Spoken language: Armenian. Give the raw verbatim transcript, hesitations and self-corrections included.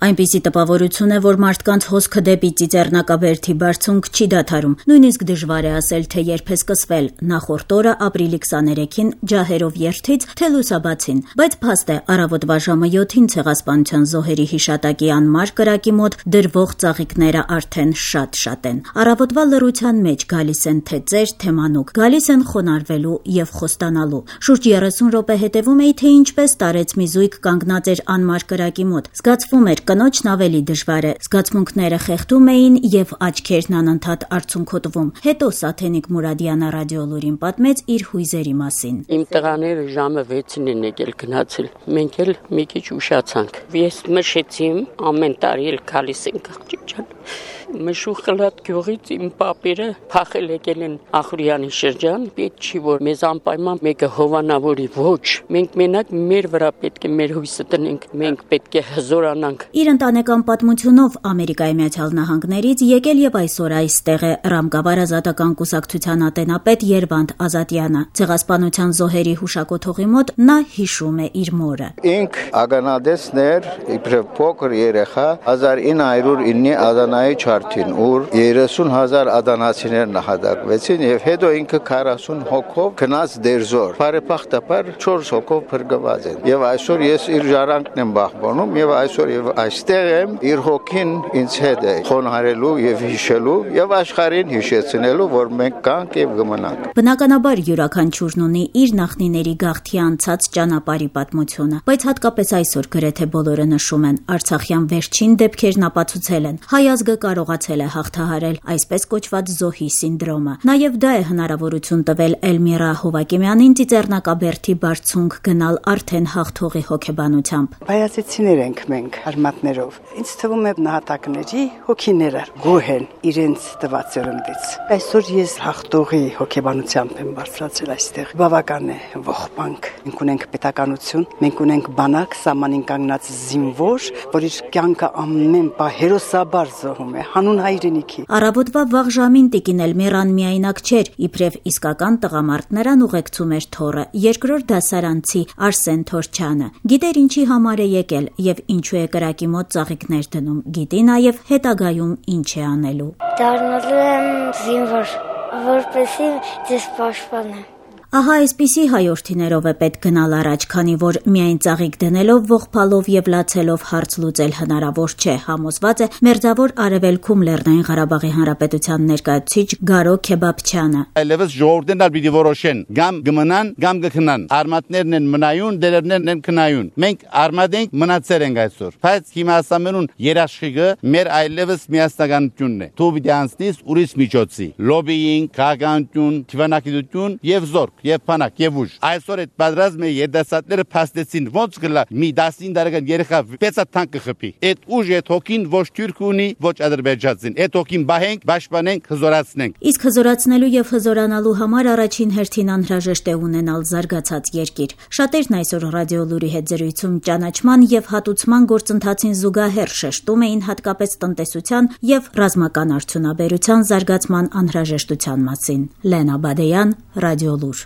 Այնպիսի տպավորություն է, որ մարդկանց հոսքը դեպի ծիծեռնակաբերդի բարձունք չի դադարում, նույնիսկ դժվար է ասել, թե երբ է սկսվել, նախորդ օրը ապրիլի քսաներեքին ջահերով երթից, թե լուսաբացին, բայց փաստ է առավոտվա ժամը յոթին ցեղասպանության զոհերի հիշատակի անմար կրակի մոտ դրվող ծաղիկները արդեն շատ-շատ են։ Առավոտվա լռության մեջ գալիս են թե ծեր, թե մանուկ, գալիս են խոնարհվելու եւ խոստանալու։ Շուրջ երեսուն րոպե հետևում էի, թե ինչպես տարեց մի զույգ կանգնած էր անմար կրակի մոտ։ Զգացվում էր կնոջն ավելի դժվար է, զգացմունքները խեղդում էին եւ աչքերն անընդհատ արցունքոտվում։ Հետո Սաթենիկ Մուրադյանը ռադիոլուրին պատմեց իր հույզերի մասին։ Իմ տղաները ժամը վեցին են եկել գնացել։ Մենք էլ մի քիչ ուշացանք։ Ես մշեցիմ, ամեն տարի էլ գալիս ենք աղջիկան։ Մշուխլատ գյուղից իմ պապերը փախել եկել են Ախուրյանի շրջան, պետք չի որ մեզ անպայման մեկը հովանավորի, ոչ, մենք մենակ մեր վրա պետք է մեր հույսը տնենք, մենք պետք է հզորանանք։ Իր ընտանեկան պատմությունով Ամերիկայի Միացյալ Նահանգներից եկել եւ այսօր այստեղ է Ռամկավար ազատական կուսակցության ատենապետ Երվանդ Ազատյանը։ Ցեղասպանության զոհերի հուշակոթողի մոտ նա հիշում է իր մորը։ Ինք ագանադեսն էր, իբրև փոքր երեխա հազար ինը հարյուր ինը Ադանայի չարթին, ուր երեսուն հազար ադանացիներ նահատակվեցին եւ հետո ինքը քառասուն հոգով գնաց դերձոր։ Բարեբախտաբար չորս հոգով փրկված են։ Եվ այսօր ես իր ժառանգն եմ բախվում եւ այսօր եւ այստեղ եմ իր հոգին ինձ հետ է խոնարհելու եւ հիշելու եւ աշխարհին հիշեցնելու, որ մենք կանք եւ կմնանք։ Բնականաբար յուրաքանչյուրն ունի իր նախնիների գաղթի անցած ճանապարհի պատմությունը, բայց հատկապես այսօր գրեթե բոլորը նշում են Արցախյան վերջին դեպքերն ապացուցել են։ Հայ ազգը կարողացել է հաղթահարել այսպես կոչված զոհի սինդրոմը։ Նաև դա է հնարավորություն տվել Էլմիրա Հովակիմյանին ծիծեռնակաբերդի բարձունք գնալ արդեն հաղթողի հոգեբանությամբ։ Բայացիցիներ ենք մենք արմատներով։ Ինձ թվում է նահատակների հոգիները գոհ են իրենց տված ծերնդից։ Այսօր ես հաղթողի հոգեբանությամբ եմ բարձրացել այստեղ։ Բավական է ողբանք։ Մենք ունենք պետականություն, մենք ունենք բանակ, սահմանին կանգնած զինվոր, որ իր կյանքը ամեն պահ հերոսաբար զոհում է հանուն հայրենիքի։ Առավոտվա վաղ ժամին տիկին Էլմիրան միայնակ չէր, իբրև իսկական տղամարդ նրան ուղեկցում էր թոռը, երկրորդ դասարանցի Արսեն Թորչյանը։ Գիտեր ինչի համար է եկել եւ ինչու է կրակի մոտ ծաղիկներ դնում, գիտի նաեւ հետագայում ինչ է անելու։ Դառնալու եմ զինվոր, որպեսզի ձեզ պաշտպանեմ։ Ահա այսպիսի հայորդիներով է պետք գնալ առաջ, քանի որ միայն ծաղիկ դնելով, ողբալով եւ լացելով հարց լուծել հնարավոր չէ, համոզված է Մերձավոր Արևելքում Լեռնային Ղարաբաղի Հանրապետության ներկայացուցիչ Գարո Քեբաբչյանը։ Այլևս ժողովուրդն ալ պիտի որոշեն, գամ գմնան, գամ գքնան։ Արմատներն են մնայուն, դերերներն են քնայուն։ Մենք արմատ ենք, մնացել ենք այսօր։ Բայց հիմա ասամենուն երաշխիքը մեր այլևս միասնականությունն է։ Դու պիտի անցնես ուրիշ միջոցի։ Լոբիինգ, քաղաքականություն, թվանակիտություն եւ զորք եւ փանակ եւ ուժ։ Այսօր այդ պատրաստ մեր երդասատները փաստեցին ոնց գլա մի տասին տարեկան երեխա վեցա տանկը խփի։ Այդ ուժը թոքին ոչ թուրք ունի, ոչ ադրբեջանցին։ Այդ թոքին բահենք, պաշտպանենք, հզորացնենք։ Իսկ հզորացնելու եւ հզորանալու համար առաջին հերթին անհրաժեշտ է ունենալ զարգացած երկիր։ Շատերն այսօր ռադիոլուրի հետ զրույցում ճանաչման եւ հատուցման գործընթացին զուգահեռ շեշտում էին հատկապես տնտեսության եւ ռազմական արդյունաբերության զարգացման անհրաժեշտության մասին։ Լենա Բադեյան, Ռադիոլուր։